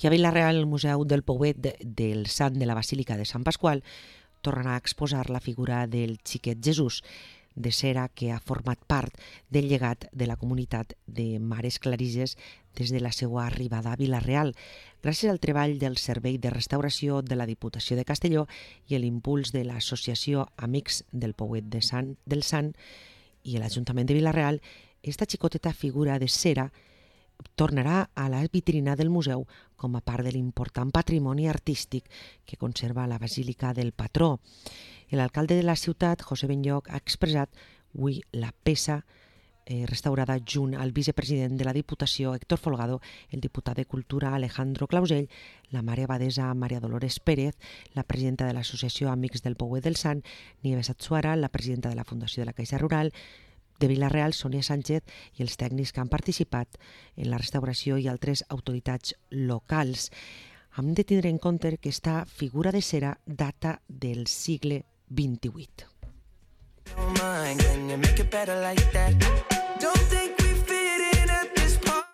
I a Vila-real, el Museu del Pouet del Sant de la Basílica de Sant Pasqual tornarà a exposar la figura del xiquet Jesús, de cera que ha format part del llegat de la comunitat de Mares Clarisses des de la seva arribada a Vila-real, gràcies al treball del Servei de Restauració de la Diputació de Castelló i l'impuls de l'Associació Amics del Pouet del Sant i l'Ajuntament de Vila-real. Esta xicoteta figura de cera tornarà a la vitrina del museu com a part de l'important patrimoni artístic que conserva la Basílica del Patró. L'alcalde de la ciutat, José Benlloch, ha expressat avui la peça restaurada junt al vicepresident de la Diputació, Héctor Folgado, el diputat de Cultura, Alejandro Clausell, la mare abadesa Maria Dolores Pérez, la presidenta de l'Associació Amics del Pouet del Sant, Nieves Atsuara, la presidenta de la Fundació de la Caixa Rural de Vila-real, Sònia Sánchez, i els tècnics que han participat en la restauració i altres autoritats locals. Hem de tindre en compte que aquesta figura de cera data del segle XXVIII.